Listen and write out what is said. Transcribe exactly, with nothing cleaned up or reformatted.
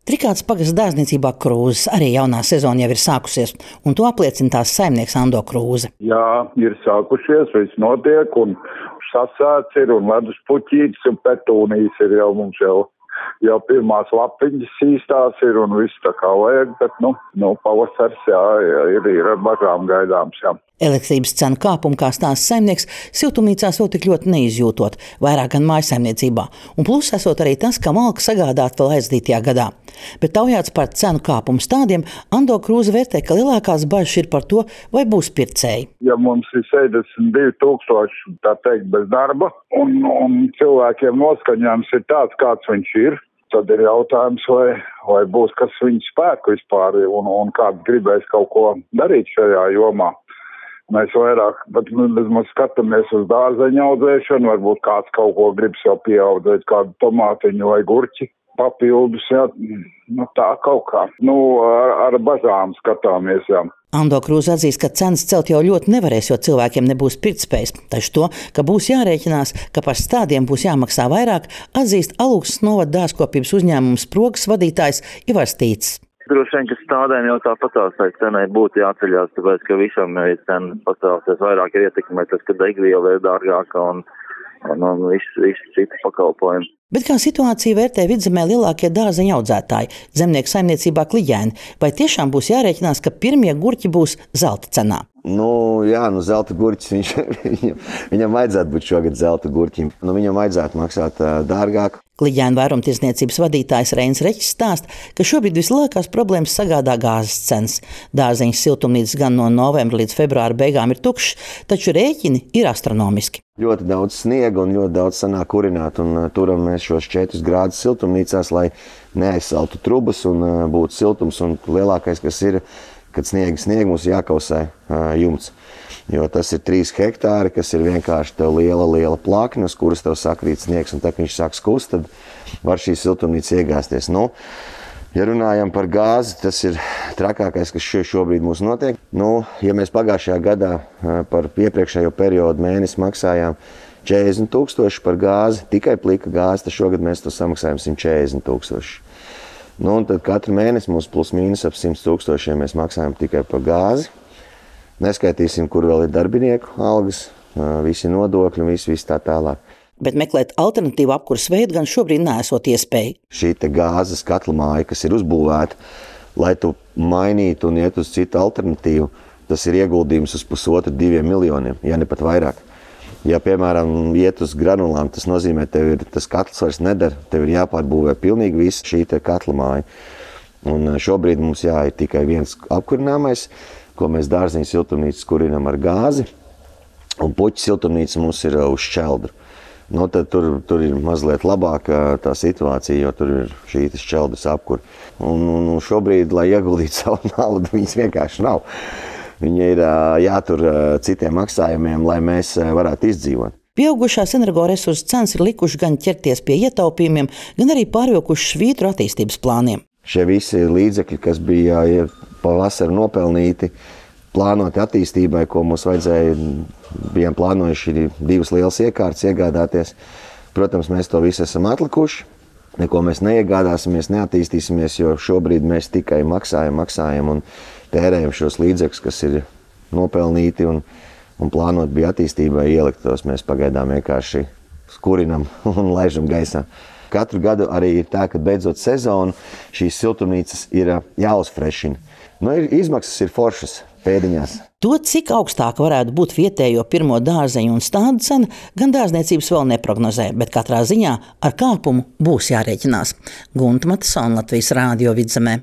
Trikāds pagasta dārzniecībā Krūzes arī jaunā sezona jau ir sākusies, un to apliecina tās saimnieks Ando Krūze. Jā, ir sākušies, viss notiek, un sasēts ir, un ledus puķītis, un petūnijas ir jau mums jau. Jau pirmās lapiņas īstās ir un viss tā kā vajag, bet, nu, nu pavasars, jā, ir, ir ar bažām gaidāms, jā. Elektrības cenu kāpumu, kā stāsta saimnieks, siltumnīcās vēl tik ļoti neizjūtot, vairāk gan mājasaimniecībā, un plus esot arī tas, ka malka sagādāt vēl aizdītajā gadā. Bet taujāts par cenu kāpumu stādiem, Ando Krūze vērtē, ka lielākās bažas ir par to, vai būs pircēji. Ja mums ir sešdesmit divi tūkstoši, tā teikt, bez darba, un, un cilvēkiem noskaņojums ir tāds, kāds viņš ir, tad ir jautājums, vai, vai būs kas viņu spēku vispār, un, un kāds gribēs kaut ko darīt šajā jomā. Mēs vairāk, bet mēs skatāmies uz dārzeņu audzēšanu, varbūt kāds kaut ko grib sev pieaudzēt, kādu tomātiņu vai gurķi papildus, jā, nu tā kaut kā. Nu, ar, ar bažām skatāmies, jā. Ando Krūze atzīst, ka cenas celt jau ļoti nevarēs, jo cilvēkiem nebūs pirktspējas. Taču to, ka būs jārēķinās, ka par stādiem būs jāmaksā vairāk, atzīst Alūksnes novada dārzkopības uzņēmums Progas vadītājs Ivars Tīts. Droši vien, ka stādēm jau tāpatās tai cenai būtu jāceļās, tāpēc, ka visam ir cena pacēlusies, vairāk ir ietekmē tas, ka degviela ir dārgāka un, un, un viss, viss citi pakalpojumi. Bet kā situāciju vērtē Vidzemē lielākie dārzeņu audzētāji, zemnieku saimniecībā Kliģēni? Vai tiešām būs jārēķinās, ka pirmie gurķi būs zelta cenā? Nu, jā, nu zelta gurķis, viņš, viņam, viņam vajadzētu būt šogad zelta gurķim. Nu, viņam vajadzētu maksāt uh, dārgāk. Kliģēnu vairumtirdzniecības vadītājs Reinis Reķis stāsta, ka šobrīd vislielākās problēmas sagādā gāzes cenas. Dārzeņu siltumnīcas gan no novembra līdz februāra beigām ir tukšas, taču rēķini ir astronomiski. Ļoti daudz sniega un ļoti daudz sanāk kurināt, un uh, turam mēs šos četrus grādus siltumnīcās, lai neaizsaltu trubas un uh, būtu siltums, un lielākais, kas ir, kad sniega sniega mums jākausē uh, jumts. Jo tas ir trīs hektāri, kas ir vienkārši tev liela, liela plakne, uz kuras tev sakrīt sniegs, un tā, kad viņš sāk skust, tad var šī siltumnīca iegāsties. Nu, ja runājam par gāzi, tas ir trakākais, kas šobrīd mums notiek. Nu, ja mēs pagājušajā gadā par iepriekšējo periodu mēnesi maksājām četrdesmit tūkstoši par gāzi, tikai plika gāzi, tad šogad mēs to samaksājam simt četrdesmit tūkstoši. Nu, un tad katru mēnesi mums plus mīnus ap simt tūkstošiem mēs maksājam tikai par gāzi. Neskaitīsim, kur vēl ir darbinieku algas, visi nodokļi un viss, viss tā tālāk. Bet meklēt alternatīvu apkuras veidu gan šobrīd neesot iespēja. Šī te gāzes katla māja, kas ir uzbūvēta, lai tu mainītu un iet uz citu alternatīvu, tas ir ieguldījums uz pusotru diviem miljoniem, ja ne pat vairāk. Ja, piemēram, iet uz granulām, tas nozīmē, tev ir tas katls vairs nedara, tev ir jāpārbūvē pilnīgi visa šī te katla māja. Un šobrīd mums jā, ir tikai viens apkurināmais, ko mēs dārziņu siltumnīcas kurinam ar gāzi, un puķu siltumnīca mums ir uz šķeldru. Nu, tad tur, tur ir mazliet labāka tā situācija, jo tur ir šī šķeldras apkura. Un, un šobrīd, lai ieguldītu savu naudu, viņas vienkārši nav. Viņa ir jātur citiem maksājumiem, lai mēs varētu izdzīvot. Pieaugušās energoresursu cenas ir likuši gan ķerties pie ietaupījumiem, gan arī pārvilkuši švītru attīstības plāniem. Šie visi līdzekļi, kas bija pavasarī nopelnīti, plānoti attīstībai, ko mums vajadzēja, bijām plānojuši divas lielas iekārtas iegādāties. Protams, mēs to visu esam atlikuši, neko mēs neiegādāsimies, neattīstīsimies, jo šobrīd mēs tikai maksājam, maksājam un tērējam šos līdzekļus, kas ir nopelnīti un, un plānot bija attīstībai ielikt tos. Mēs pagaidām vienkārši skurinam un laižam gaisā. Katru gadu arī ir tā, ka beidzot sezonu šīs siltumnīcas ir jāuzfrešina. Nu, ir, izmaksas ir foršas pēdiņās. To, cik augstāka varētu būt vietējo pirmo dārzeņu un stādu cena, gan dārzniecības vēl neprognozē, bet katrā ziņā ar kāpumu būs jārēķinās. Gunta Matisona, Latvijas Rādio Vidzemē.